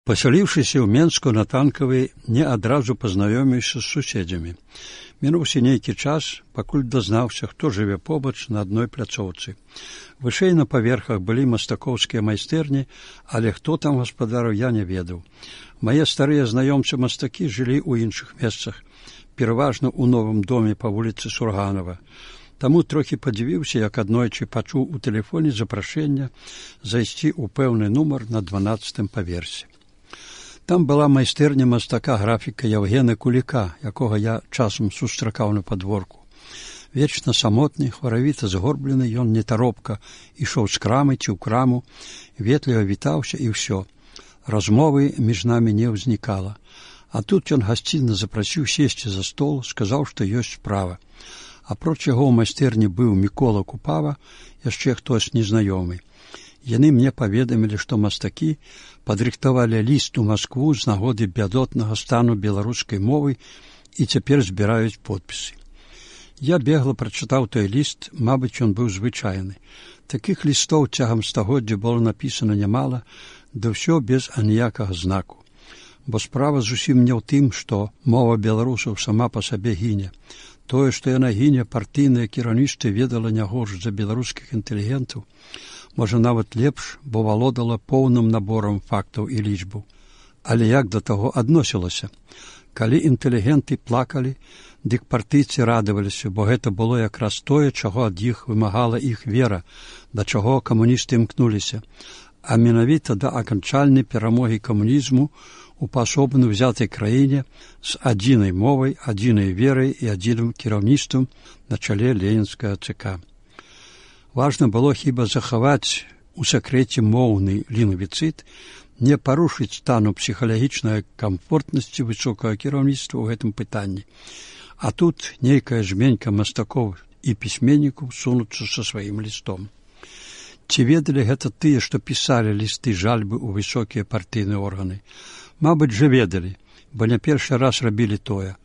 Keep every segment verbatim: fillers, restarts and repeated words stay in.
Пасяліўшыся ў Менску на Танкавай, не адразу пазнаёміўся з суседзямі. Мінуўся нейкі час, пакуль дазнаўся, хто жыве побач на адной пляцоўцы. Вышэй на паверхах былі мастакоўскія майстэрні, але хто там гаспадарыў, я не ведаў. Мае старыя знаёмцы-мастакі жылі ў іншых месцах, пераважна ў новым доме па вуліцы Сурганова. Таму трохі падзівіўся, як аднойчы пачуў у тэлефоне запрашэнне зайсці ў пэўны нумар на дванаццатым паверсе. Там была майстэрня мастака-графіка Яўгена Куліка, якога я часам сустракаў на падворку. Вечна самотны, хваравіта згорблены, ён нетаропка ішоў з крамы ці ў краму, ветліва вітаўся і ўсё. Размовы між намі не ўзнікала. А тут ён гасцінна запрасіў сесці за стол, сказаў, што ёсць справа. Апроч яго ў майстэрні быў Мікола Купава, яшчэ хтось незнаёмы. Яны мне паведамілі, што мастакі падрыхтавалі ліст у Маскву з нагоды бядотнага стану беларускай мовы і цяпер збіраюць подпісы. Я бегла прачытаў той ліст, мабыць, ён быў звычайны. Такіх лістоў цягам стагоддзя было напісана нямала, да ўсё без аніякага знаку. Бо справа зусім не ў тым, што мова беларусаў сама па сабе гіне. Тое, што яна гіне, партыйнае кіраўніцтва ведала не горш за беларускіх інтэлігентаў, можа, нават лепш, бо валодала поўным наборам фактаў і лічбаў. Але як да таго адносілася? Калі інтэлігенты плакалі, дык партыйцы радаваліся, бо гэта было якраз тое, чаго ад іх вымагала іх вера, да чаго камуністы імкнуліся, а менавіта да аканчальнай перамогі камунізму у паасобна ўзятай краіне з адзінай мовай, адзінай верай і адзіным кіраўніцтвам на чале ленінскага ЦК. Важна было хіба захаваць у сакрэце моўны лінгвіцыд, не парушыць стану псіхалагічнай камфортнасці высокага кіраўніцтва ў гэтым пытанні. А тут нейкая жменька мастакоў і пісьменнікаў сунуцца са сваім лістом. Ці ведалі гэта тыя, што пісалі лісты жальбы ў высокія партыйныя органы? Мабыць, жа ведалі, бо не першы раз рабілі тое.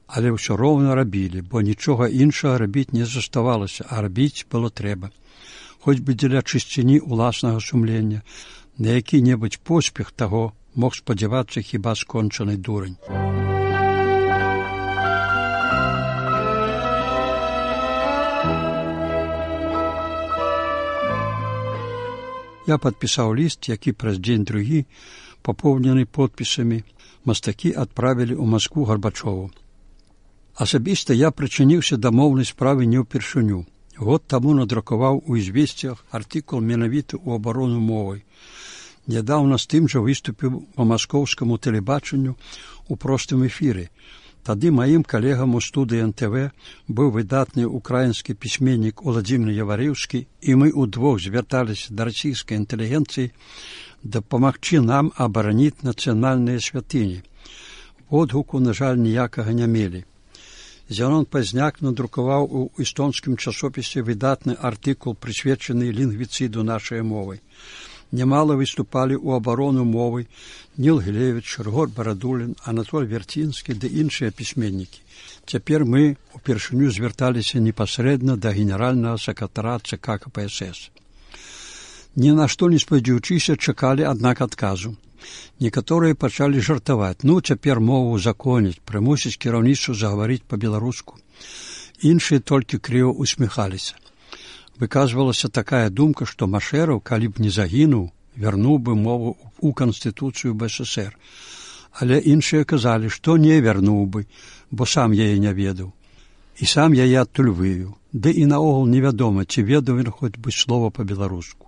Але ўсё роўна рабілі, бо нічога іншага рабіць не заставалася, а рабіць было трэба. Хоць бы дзеля чысціні ўласнага сумлення, на які-небудзь поспех таго мог спадзявацца хіба скончаны дурань. Я падпісаў ліст, які праз дзень-другі, папоўнены подпісамі, мастакі адправілі ў Маскву Гарбачову. Асабіста я прычыніўся да моўнай справы не ўпершыню. Год таму надрукаваў у «Ізвесціях» артыкул менавіта ў абарону мовай. Нядаўна з тым жа выступіў па маскоўскаму тэлебачанню ў простым эфіры. Тады маім калегам у студыі эн тэ вэ быў выдатны украінскі пісьменнік Уладзімір Яварыўскі, і мы ўдвох звярталіся да расійскай інтэлігенцыі дапамагчы нам абараніць нацыянальныя святыні. Водгуку, на жаль, ніякага не мелі. Зянон Пазняк надрукаваў у эстонскім часопісе выдатны артыкул, прысвечаны лінгвіцыду нашай мовы. Нямала выступалі ў абарону мовы Ніл Гілевіч, Рыгор Барадулін, Анатоль Вярцінскі ды іншыя пісьменнікі. Цяпер мы упершыню звярталіся непасрэдна да генеральнага сакратара ЦК ка пэ эс эс. Ні на што не спадзяючыся, чакалі, аднак, адказу. Некаторыя пачалі жартаваць. Ну, цяпер мову законіць, прымусіць кіраўніцтва загаварыць па-беларуску. Іншыя толькі крыва усміхаліся. Выказвалася такая думка, што Машэраў, калі б не загінуў, вярнуў бы мову ў Канстытуцыю бэ эс эс ер. Але іншыя казалі, што не вярнуў бы, бо сам яе не ведаў. І сам яе адтуль вывеў. Ды і наогул невядома, ці ведаў ён хоць бы слова па-беларуску.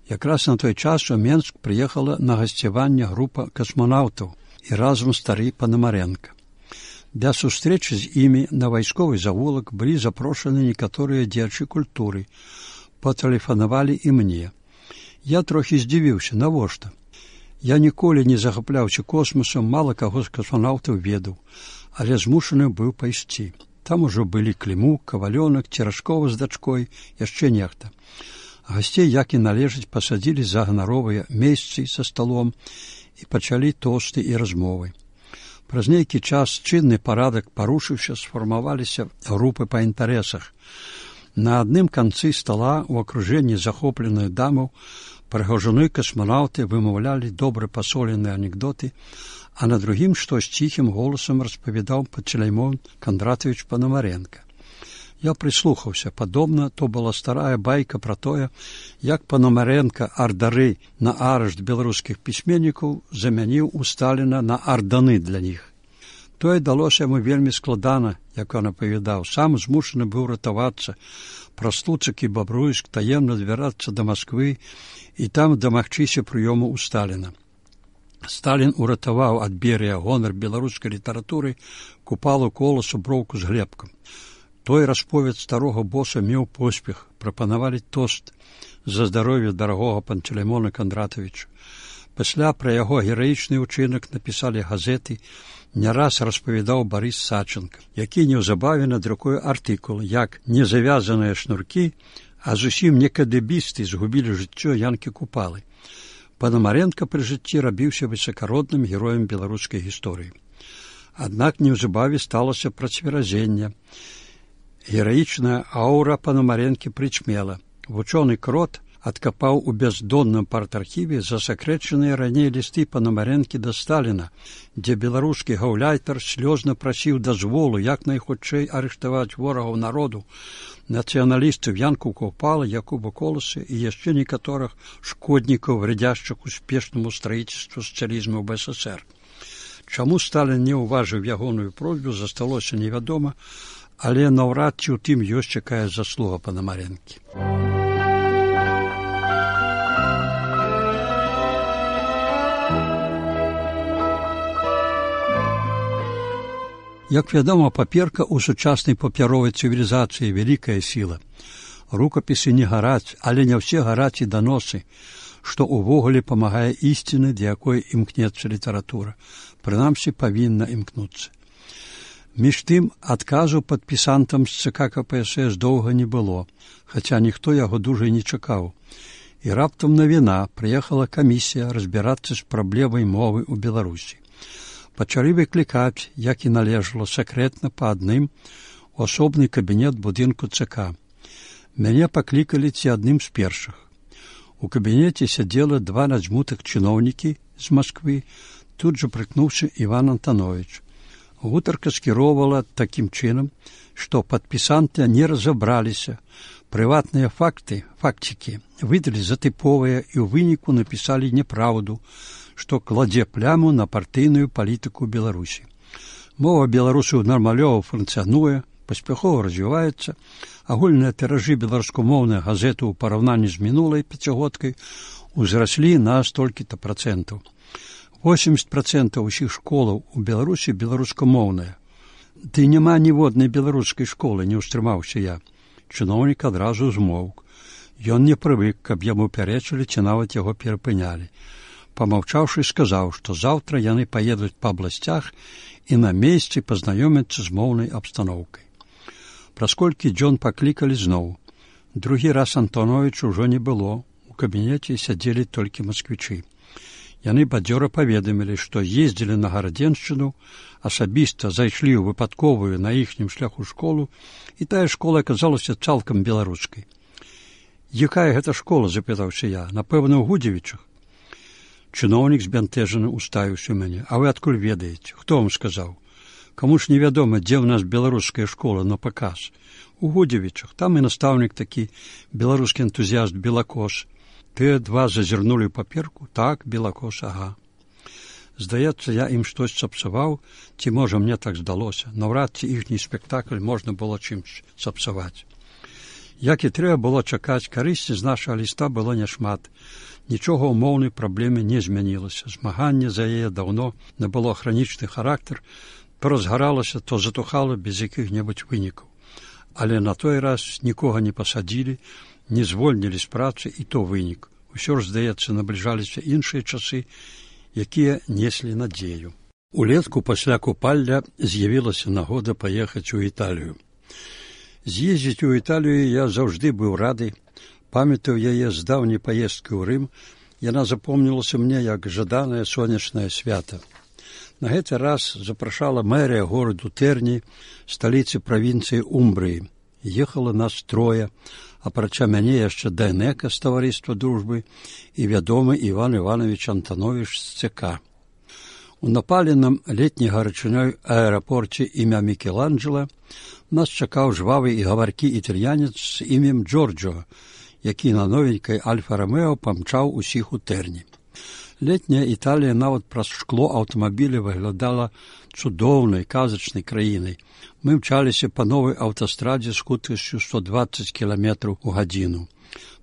Якраз на той час у Менск прыехала на гасцяванне група касманаўтаў і разам стары Панамарэнка. Для сустрэчы з імі на вайсковы завулак былі запрошаны некаторыя дзеячы культуры. Патэлефанавалі і мне. Я трохі здзівіўся, навошта? Я ніколі не захапляўся космосам, мала каго з касманаўтаў ведаў, але змушаны быў пайсці. Там ужо былі Клімук, Кавалёнак, Церашкова з дачкой, яшчэ нехта. Гасцей, як і належыць, пасадзілі за ганаровыя месцы са сталом і пачалі тосты і размовы. Праз нейкі час чынны парадак парушыўся, сфармаваліся групы па інтарэсах. На адным канцы стала ў акружэнні захопленых дамаў Прыгажуны касманаўты вымаўлялі добра пасоленыя анекдоты, а на другім штось ціхім голасам распавядаў Пантелеймон Кондратович Пономаренко. Я прыслухаўся. Падобна, то была старая байка пра тое, як Пономаренко ардары на арышт беларускіх пісьменнікаў замяніў у Сталіна на арданы для іх. Тое далося яму вельмі складана, як ён апавядаў. Сам змушаны быў ратавацца праз Луцак і Бабруйск, таемна збірацца да Масквы і там дамагчыся прыёму ў Сталіна. Сталін уратаваў ад Берыя гонар беларускай літаратуры, Купалу, Коласу, Броўку з Глебкам. Той расповед старога боса меў поспех, прапанавалі тост за здароўе дарагога Пантелеймона Кондратовича. Пасля пра яго гераічны ўчынак напісалі газеты, не раз распавядаў Барыс Саченко, які неўзабаве надрукуе артыкул, як незавязаныя шнуркі, а зусім не кадебісты згубілі жыццё Янкі Купалы. Пономаренко пры жыцці рабіўся высакародным героем беларускай гісторыі. Аднак неўзабаве сталася працверазенне. Гераічная аўра Пономаренкі прычмела. Вучоны Крот адкапаў у бяздонным партархіве засакрэчаныя раней лісты Пономаренкі да Сталіна, дзе беларускі гаўляйтар слёзна прасіў дазволу як найхутчэй арыштаваць ворагаў народу, нацыяналістаў Янку Купалы, Якуба Коласа і яшчэ некаторых шкоднікаў, вредзяшчых успешнаму строительству сацыялізму ў БССР. Чаму Сталін не ўважыў ягоную просьбу, засталося невядома, але наўрад ці ў тым ёсць якая заслуга Пономаренкі. Як вядома, паперка ў сучаснай папяровай цывілізацыі вялікая сіла. Рукапісы не гараць, але не ўсе гараць і даносы, што ўвогуле памагае ісціны, да якой імкнецца літаратура. Прынамсі, павінна імкнуцца. Між тым, адказу падпісантам з ЦК КПСС доўга не было, хаця ніхто яго дужа не чакаў. І раптам навіна, прыехала камісія разбірацца з праблемай мовы ў Беларусі. Пачалі выклікаць, як і належала, сакрэтна па адным у асобны кабінет будынку ЦК. Мяне паклікалі ці адным з першых. У кабінеце сядзела два надзьмутых чыноўнікі з Масквы, тут жа прыкнуўся Іван Антанович. Гутарка скіроўвала такім чынам, што падпісанты не разабраліся. Прыватныя факты, факцікі, выдалі за тыповыя і ў выніку напісалі няпраўду, што кладзе пляму на партыйную палітыку Беларусі. Мова беларусаў нармалёва функцыянуе, паспяхова развіваецца, агульныя тыражы беларускамоўных газет у параўнанні з мінулай пяцігодкай узраслі на столькі-то працэнтаў. восемьдесят процентов усіх школаў у Беларусі беларускамоўныя. Ды няма ніводнай беларускай школы, не ўстрымаўся я. Чыноўнік адразу змоўк. Ён не прывык, каб яму пярэчылі ці нават яго перапынялі. Памаўчаўшы, сказаў, што заўтра яны паедуць па абласцях і на месцы пазнаёмяцца з моўнай абстаноўкай. Праз колькі дзён паклікалі зноў. Другі раз Антоновіча ўжо не было. У кабінеце сядзелі толькі масквічы. Яны бадзёра паведамілі, што ездзілі на Гарадзеншчыну, асабіста зайшлі ў выпадковую на іхнім шляху школу, і тая школа аказалася цалкам беларускай. «Якая гэта школа?» – запытаўся я. «Напэўна, у Гудзевічах». Чыноўнік збянтэжана уставіўся ў мяне. «А вы адкуль ведаеце? Хто вам сказаў? Каму ж невядома, дзе ў нас беларуская школа на паказ? У Гудзевічах. Там і настаўнік такі, беларускі энтузіяст Белакос». Тыя два зазірнулі ў паперку. Так, Белакос, ага. Здаецца, я ім штось сапсаваў, ці, можа, мне так здалося. Наўрад ці іхні спектакль можна было чымсь сапсаваць. Як і трэба было чакаць, карысці з нашага ліста было няшмат. Нічога ў моўнай праблеме не змянілася. Змаганне за яе даўно набыло хранічны характар, то разгаралася, то затухала без якіх-небудзь вынікаў. Але на той раз нікога не пасадзілі, не звольнілі з працы, і то вынік. Усё ж, здаецца, набліжаліся іншыя часы, якія неслі надзею. Улетку пасля купалля з'явілася нагода паехаць у Італію. З'ездзіць у Італію я заўжды быў рады. Памятаю яе з даўняй паездкі ў Рым. Яна запомнілася мне як жаданае сонечнае свята. На гэты раз запрашала мэрія гораду Тэрні, сталіцы правінцыі Умбрыі. Ехала нас трое. апрача мяне яшчэ Дайнека з таварыства дружбы і вядомы Іван Іванович Антанович з ЦК. У напаленым летняй гарачынёй аэрапорце імя Мікеланджела нас чакаў жвавы і гаваркі італьянец з імем Джорджо, які на новенькай Альфа-Ромео памчаў усіх у Тэрні. Летняя Італія нават праз шкло аўтамабіля выглядала цудоўнай, казачнай краінай. Мы мчаліся па новай аўтастрадзе з хуткасцю сто дваццаць кіламетраў у гадзіну.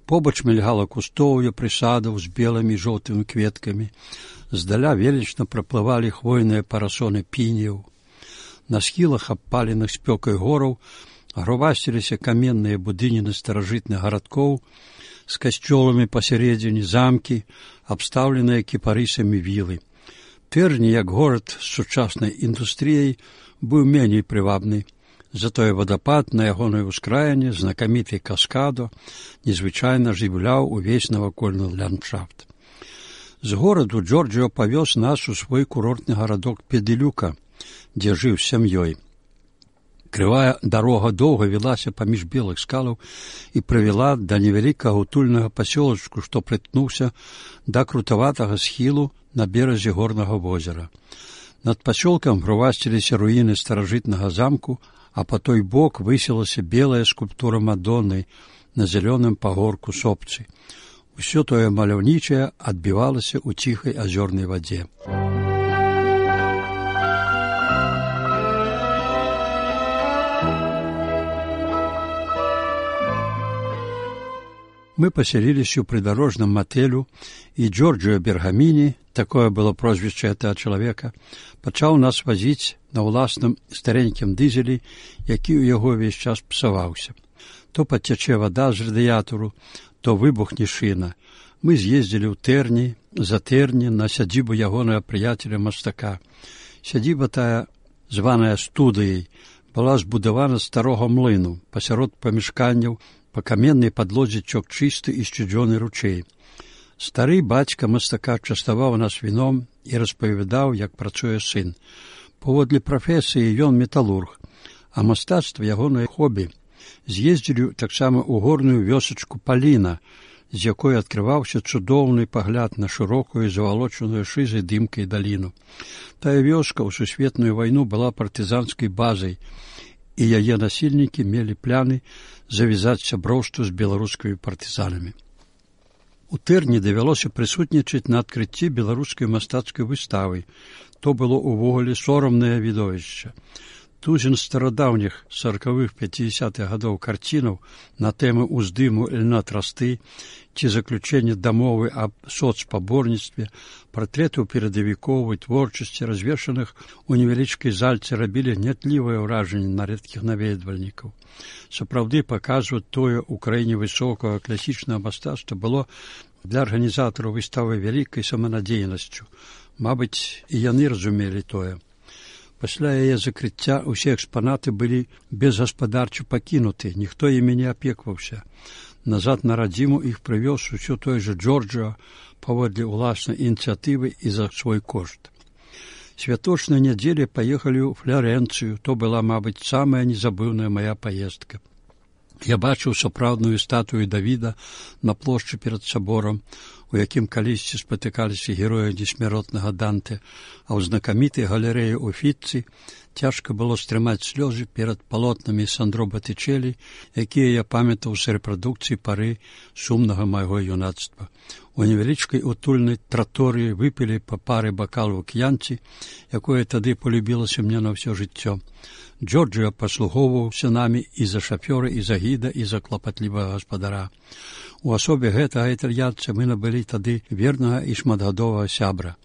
Побач мільгала кустоўе прысадаў з белымі і жоўтымі кветкамі. Здаля велічна праплывалі хвойныя парасоны піняў. На схілах абпаленых спёкай гораў грувасціліся каменныя будыніны старажытных гарадкоў з касцёламі пасярэдзіне, замкі, абстаўленыя кіпарысамі вілы. Тэрні, як горад з сучаснай індустрыяй, быў меней прывабны. Затое вадапад на ягонай ускраіне, знакаміты каскадо, незвычайна жывляў увесь навакольны ландшафт. З гораду Джорджио павёз нас у свой курортны гарадок Педылюка, дзе жыў з сям'ёй. Крывая дарога доўга вілася паміж белых скалаў і прывяла да невялікага утульнага пасёлачку, што прыткнуўся да крутаватага схілу на беразе горнага возера. Над пасёлкам грувасціліся руіны старажытнага замку, а па той бок высілася белая скульптура Мадонны на зялёным пагорку сопцы. Усё тое маляўнічае адбівалася ў ціхай азёрнай вадзе. Мы паселіліся ў прыдарожным матэлю, і Джорджио Бергаміні, такое было прозвішча гэтага чалавека, пачаў нас вазіць на ўласным старенькім дызелі, які ў яго ўвесь час псаваўся. То пацячэ вада з радыятару, то выбухне шына. Мы з'ездзілі ў Тэрні, за Тэрні, на сядзібу ягонага прыяцеля-мастака. Сядзіба тая, званая студыяй, была збудавана з старога млыну, пасярод памяшканняў, па каменнай падлодзе цёк чысты і сцюдзёны ручэй. Стары бацька мастака частаваў нас віном і распавядаў, як працуе сын. Паводле прафесіі ён металург, а мастацтва ягонае хобі. З'ездзілі таксама ў горную вёсачку Паліна, з якой адкрываўся цудоўны пагляд на шырокую завалочаную шызай дымкай даліну. Тая вёска ў сусветную вайну была партызанскай базай, і яе насельнікі мелі пляны завязаць сяброўству з беларускімі партызанамі. У Тэрні давялося прысутнічаць на адкрыцці беларускай мастацкай выставы. То было ўвогуле сорамнае відовішча. Тузін старадаўніх саракавых пяцідзясятых гадоў карцінаў на тэмы ўздыму льна трасты ці заключэння дамовы аб соцпаборніцтве, партрэтаў перадавікоў і творчасці, развешаных у невялічкай зальцы, рабілі гнятлівае ўражанне на рэдкіх наведвальнікаў. Сапраўды, паказваць тое ў краіне высокага класічнага мастацтва было для арганізатараў выставы вялікай саманадзейнасцю. Мабыць, і яны разумелі тое. Пасля яе закрыцця ўсе экспанаты былі безгаспадарча пакінуты, ніхто імі не апекваўся. Назад на радзіму іх прывёз усё той жа Джорджио паводле ўласнай ініцыятывы і за свой кошт. Святочнай нядзелі паехалі ў Фларэнцыю, то была, мабыць, самая незабыўная мая паездка. Я бачыў сапраўдную статую Давіда на плошчы перад саборам, у якім калісьці спатыкаліся героі несмяротнага Данте, а ў знакамітай галерэі Уфіцці цяжка было стрымаць слёзы перад палотнамі Сандро Батычэлі, якія я памятаў з рэпрадукцыі пары сумнага майго юнацтва. У невялічкай утульнай траторыі выпілі па пары бакалаў к'янці, якое тады полюбілася мне на ўсё жыццё. Джорджио паслугоўваўся намі і за шафёра, і за гіда, і за клапатлівага гаспадара. У асобе гэтага італьянца мы набылі тады вернага і шматгадовага сябра.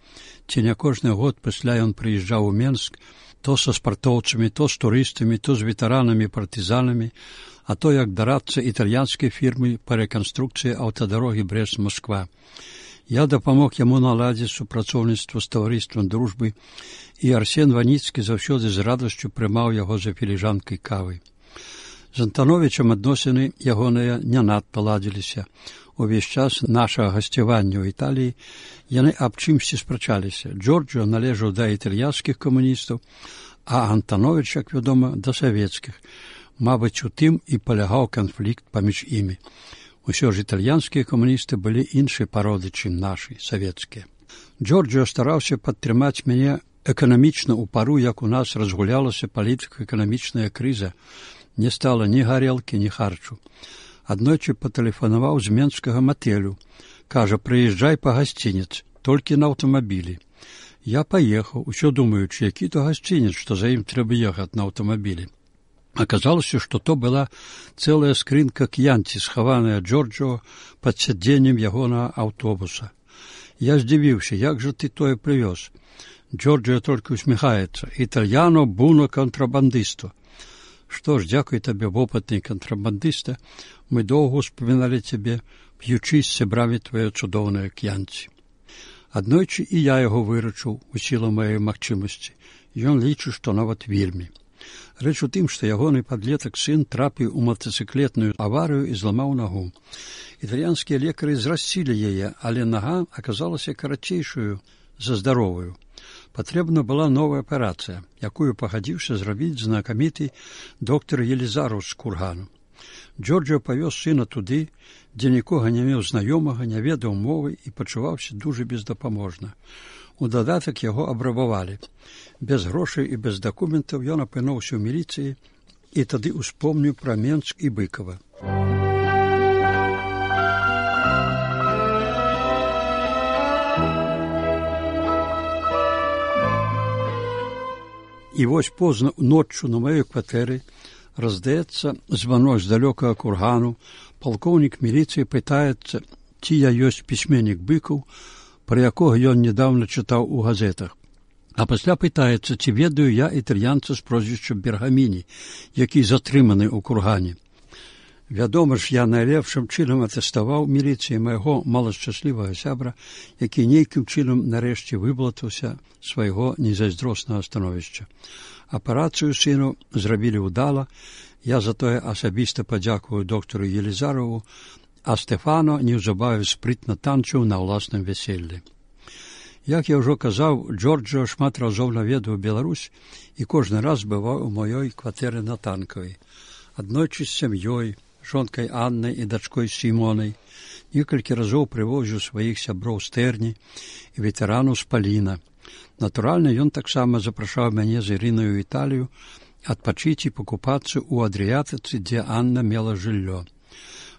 Ці не кожны год пасля ён прыязджаў у Менск, то са спартоўцамі, то з турыстамі, то з ветэранамі-партызанамі, а то як дарадца італьянскай фірмы па рэканструкцыі аўтадарогі Брэст-Москва. Я дапамог яму наладзіць супрацоўніцтва з таварыствам дружбы, і Арсен Ваніцкі заўсёды з радасцю прымаў яго за філіжанкай кавы. З Антановічам адносіны ягоныя не надта ладзіліся. Увесь час нашага гасцявання ў Італіі яны аб чымсьці спрачаліся. Джорджио належаў да італьянскіх камуністаў, а Антановіч, як вядома, да савецкіх. Мабыць, у тым і палягаў канфлікт паміж імі. Усё ж італьянскія камуністы былі іншай пароды, чым нашы, савецкія. Джорджио стараўся падтрымаць мяне эканамічна ў пару, як у нас разгулялася палітыка-эканамічная крыза. Не стала ні гарэлкі, ні харчу. Аднойчы патэлефанаваў з менскага матэлю. Кажа, прыязджай па гасцінец, толькі на аўтамабілі. Я паехаў, усё думаючы, які то гасцінец, што за ім трэба ехаць на аўтамабілі. Аказалася, што то была цэлая скрынка к'янці, схаваная Джорджио пад сядзеннем ягонага аўтобуса. Я здзівіўся, як жа ты тое прывёз? Джорджио толькі усміхаецца. Італьяно буно контрабандисто. Што ж, дзякуй табе, вопытны контрабандыста, мы доўга успаміналі цябе, п'ючы з сябрамі твае цудоўныя к'янці. Аднойчы і я яго выручыў у сілу маёй магчымасці. Ён лічыць, што нават вельмі. Рэч у тым, што ягоны падлетак сын трапіў у матацыклетную аварыю і зламаў нагу. Італьянскія лекары зрасцілі яе, але нага аказалася карацейшую за здаровую. Патрэбна была новая аперацыя, якую пагадзіўся зрабіць знакаміты доктар Елізараў з Кургану. Джорджио павёз сына туды, дзе нікога не меў знаёмага, не ведаў мовы і пачуваўся дужа бездапаможна. У дадатак яго абрабавалі. Без грошай і без дакументаў ён апынуўся ў міліцыі і тады успомніў пра Менск і Быкова. І вось позна ноччу на маёй кватэры раздаецца званок з далёкага Кургану. Палкоўнік міліцыі пытаецца, ці я ёсць пісьменнік Быкаў, пра якога ён нядаўна чытаў у газетах. А пасля пытаецца, ці ведаю я італьянца з прозвішчам Бергаміні, які затрыманы ў Кургане. Вядома ж, я найлепшым чынам атэставаў міліцыі майго малашчаслівага сябра, які нейкім чынам нарэшце выблатаўся свайго незайздроснага становішча. Аперацыю сыну зрабілі ўдала, я затое асабіста падзякую доктару Елізарову, а Стефано неўзабаве спрытна танчыў на ўласным вяселлі. Як я ўжо казаў, Джорджио шмат разоў наведаў Беларусь і кожны раз бываў у маёй кватэры на Танкавай. Аднойчы з сям'ёй, жонкай Аннай і дачкой Сімонай, некалькі разоў прывозіў сваіх сяброў з Тэрні і ветэранаў з Паліна. Натуральна, ён таксама запрашаў мяне з Ірынай у Італію адпачыць і пакупацца ў Адрыятыцы, дзе Анна мела жыллё.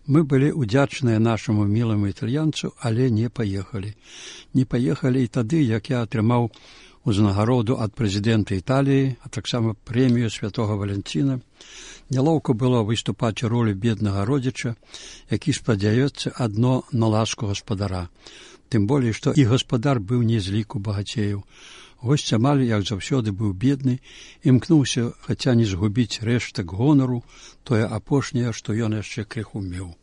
Мы былі ўдзячныя нашаму міламу італьянцу, але не паехалі. Не паехалі і тады, як я атрымаў узнагароду ад прэзідэнта Італіі, а таксама прэмію святога Валянціна. Нялоўка было выступаць у ролі беднага родзіча, які спадзяецца адно на ласку гаспадара. Тым болей, што і гаспадар быў не з ліку багацеяў. Госць амаль, як заўсёды, быў бедны, імкнуўся, хаця не згубіць рэштак гонару, тое апошняе, што ён яшчэ крыху меў.